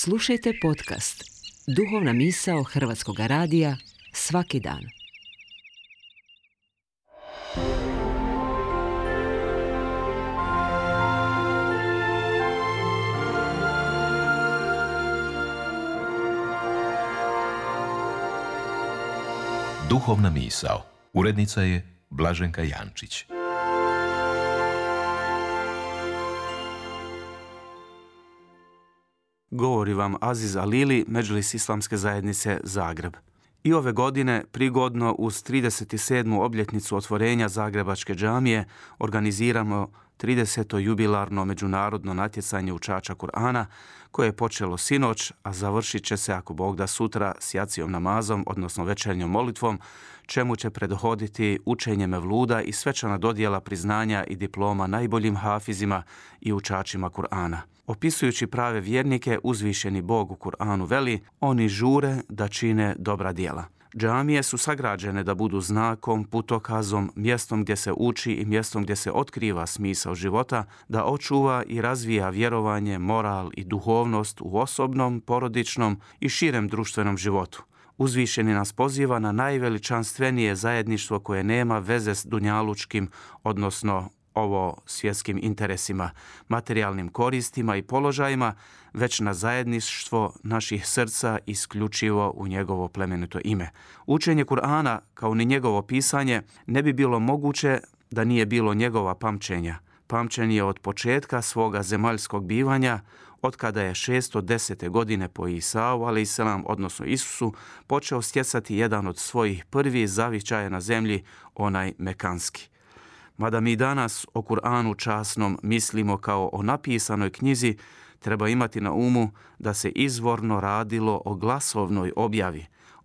Slušajte podcast Duhovna misao Hrvatskog radija svaki dan. Duhovna misao. Urednica je Blaženka Jančić. Govori vam Aziz Alili, Medžlis Islamske zajednice Zagreb. I ove godine, prigodno uz 37. obljetnicu otvorenja Zagrebačke džamije, organiziramo 30. jubilarno međunarodno natjecanje učača Kur'ana, koje je počelo sinoć, a završit će se, ako Bog da, sutra s jacijom namazom, odnosno večernjom molitvom, čemu će prethoditi učenje mevluda i svečana dodjela priznanja i diploma najboljim hafizima i učačima Kur'ana. Opisujući prave vjernike, uzvišeni Bog u Kur'anu veli: oni žure da čine dobra djela. Džamije su sagrađene da budu znakom, putokazom, mjestom gdje se uči i mjestom gdje se otkriva smisao života, da očuva i razvija vjerovanje, moral i duhovnost u osobnom, porodičnom i širem društvenom životu. Uzvišeni nas poziva na najveličanstvenije zajedništvo koje nema veze s dunjalučkim, odnosno svjetskim interesima, materijalnim koristima i položajima, već na zajedništvo naših srca isključivo u njegovo plemenito ime. Učenje Kur'ana, kao ni njegovo pisanje, ne bi bilo moguće da nije bilo njegova pamćenja. Pamćen je od početka svoga zemaljskog bivanja, od kada je 610. godine po Isau, a.s., odnosno Isusu, počeo stjecati jedan od svojih prvih zavičaja na zemlji, onaj mekanski. Mada mi danas o Kur'anu časnom mislimo kao o napisanoj knjizi, treba imati na umu da se izvorno radilo o glasovnoj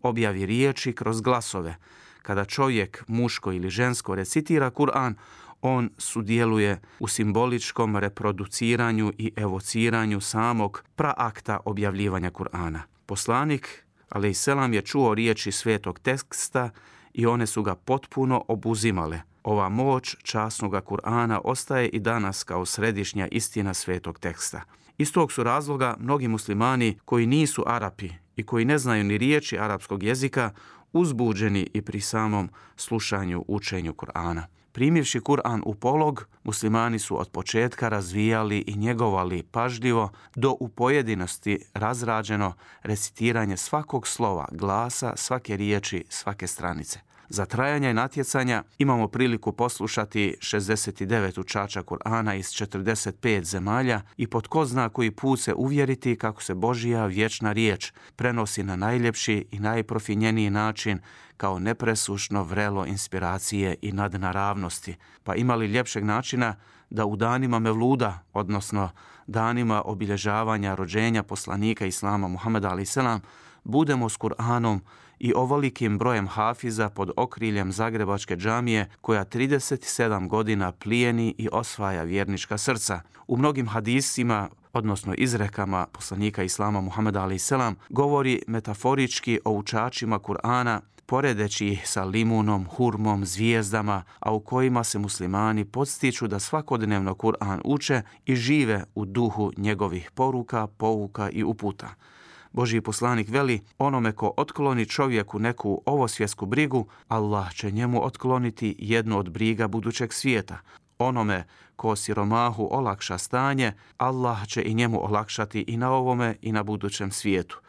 objavi riječi kroz glasove. Kada čovjek, muško ili žensko, recitira Kur'an, on sudjeluje u simboličkom reproduciranju i evociranju samog praakta objavljivanja Kur'ana. Poslanik, a.s., je čuo riječi svetog teksta i one su ga potpuno obuzimale. Ova moć časnoga Kur'ana ostaje i danas kao središnja istina svetog teksta. Iz tog su razloga mnogi muslimani koji nisu Arapi i koji ne znaju ni riječi arapskog jezika uzbuđeni i pri samom slušanju učenju Kur'ana. Primivši Kur'an u polog, muslimani su od početka razvijali i njegovali pažljivo do u pojedinosti razrađeno recitiranje svakog slova, glasa, svake riječi, svake stranice. Za trajanje natjecanja imamo priliku poslušati 69 učača Kur'ana iz 45 zemalja i po tko zna koji put se uvjeriti kako se Božja vječna riječ prenosi na najljepši i najprofinjeniji način kao nepresušno vrelo inspiracije i nadnaravnosti. Pa ima li ljepšeg načina da u danima mevluda, odnosno danima obilježavanja rođenja poslanika Islama Muhameda a.s., budemo s Kur'anom i ovolikim brojem hafiza pod okriljem Zagrebačke džamije koja 37 godina plijeni i osvaja vjernička srca. U mnogim hadisima, odnosno izrekama poslanika Islama Muhameda a.s., govori metaforički o učačima Kur'ana, poredeći ih sa limunom, hurmom, zvijezdama, a u kojima se muslimani podstiču da svakodnevno Kur'an uče i žive u duhu njegovih poruka, pouka i uputa. Božji poslanik veli: onome ko otkloni čovjeku neku ovosvjetsku brigu, Allah će njemu otkloniti jednu od briga budućeg svijeta. Onome ko siromahu olakša stanje, Allah će i njemu olakšati i na ovome i na budućem svijetu.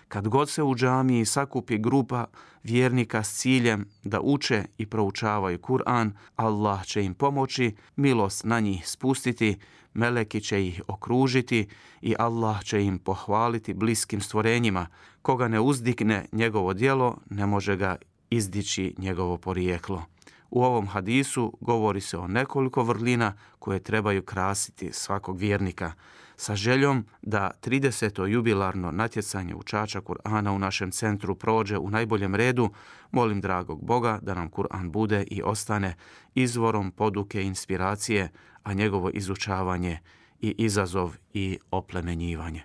Kad god se u džamiji sakupi grupa vjernika s ciljem da uče i proučavaju Kur'an, Allah će im pomoći, milost na njih spustiti, meleki će ih okružiti i Allah će im pohvaliti bliskim stvorenjima. Koga ne uzdigne njegovo djelo, ne može ga izdići njegovo porijeklo. U ovom hadisu govori se o nekoliko vrlina koje trebaju krasiti svakog vjernika. Sa željom da 30. jubilarno natjecanje učača Kur'ana u našem centru prođe u najboljem redu, molim dragog Boga da nam Kur'an bude i ostane izvorom poduke i inspiracije, a njegovo izučavanje i izazov i oplemenjivanje.